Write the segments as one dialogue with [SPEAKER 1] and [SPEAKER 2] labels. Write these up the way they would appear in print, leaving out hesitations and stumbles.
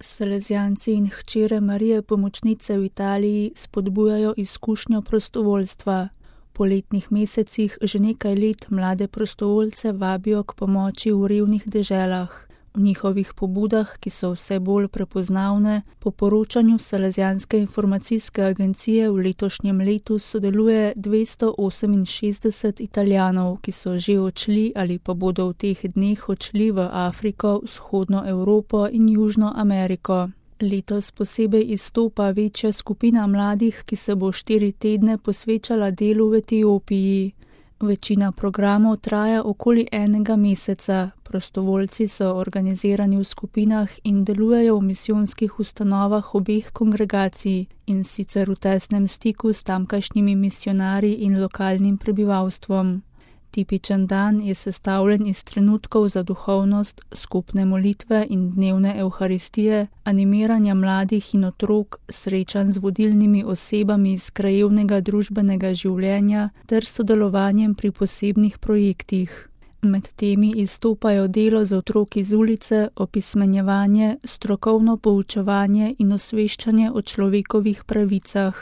[SPEAKER 1] Salezijanci in hčere Marije Pomočnice v Italiji spodbujajo izkušnjo prostovoljstva. V poletnih mesecih že nekaj let mlade prostovoljce vabijo k pomoči v revnih deželah. V njihovih pobudah, ki so vse bolj prepoznavne, po poročanju Salezijanske informacijske agencije v letošnjem letu sodeluje 268 Italijanov, ki so že odšli ali pa bodo v teh dneh odšli v Afriko, vzhodno Evropo in Južno Ameriko. Letos posebej izstopa večja skupina mladih, ki se bo 4 tedne posvečala delu v Etiopiji. Večina programov traja okoli 1 meseca. Prostovoljci so organizirani v skupinah in delujejo v misijonskih ustanovah obeh kongregacij, in sicer v tesnem stiku s tamkajšnjimi misijonarji in lokalnim prebivalstvom. Tipičen dan je sestavljen iz trenutkov za duhovnost, skupne molitve in dnevne evharistije, animiranja mladih in otrok, srečanj z vodilnimi osebami iz krajevnega družbenega življenja ter sodelovanjem pri posebnih projektih. Med temi izstopajo delo z otroki z ulice, opismenjevanje, strokovno poučevanje in osveščanje o človekovih pravicah.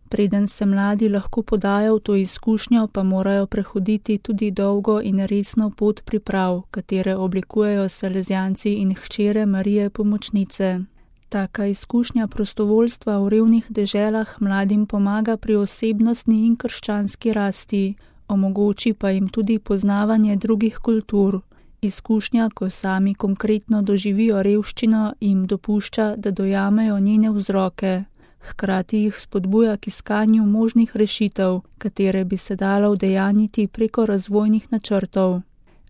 [SPEAKER 1] Preden se mladi lahko podajo v to izkušnjo, pa morajo prehoditi tudi dolgo in resno pot priprav, katere oblikujejo Salezijanci in hčere Marije Pomočnice. Taka izkušnja prostovoljstva v revnih deželah mladim pomaga pri osebnostni in krščanski rasti, omogoči pa jim tudi poznavanje drugih kultur. Izkušnja, ko sami konkretno doživijo revščino, jim dopušča, da dojamejo njene vzroke. Hkrati jih spodbuja k iskanju možnih rešitev, katere bi se dalo udejanjiti preko razvojnih načrtov.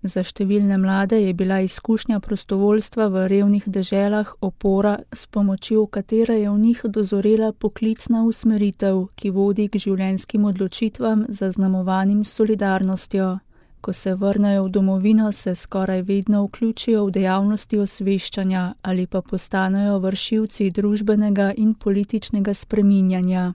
[SPEAKER 1] Za številne mlade je bila izkušnja prostovoljstva v revnih deželah opora, s pomočjo katere je v njih dozorela poklicna usmeritev, ki vodi k življenjskim odločitvam zaznamovanim solidarnostjo. Ko se vrnejo v domovino, se skoraj vedno vključijo v dejavnosti osveščanja ali pa postanejo vršilci družbenega in političnega spreminjanja.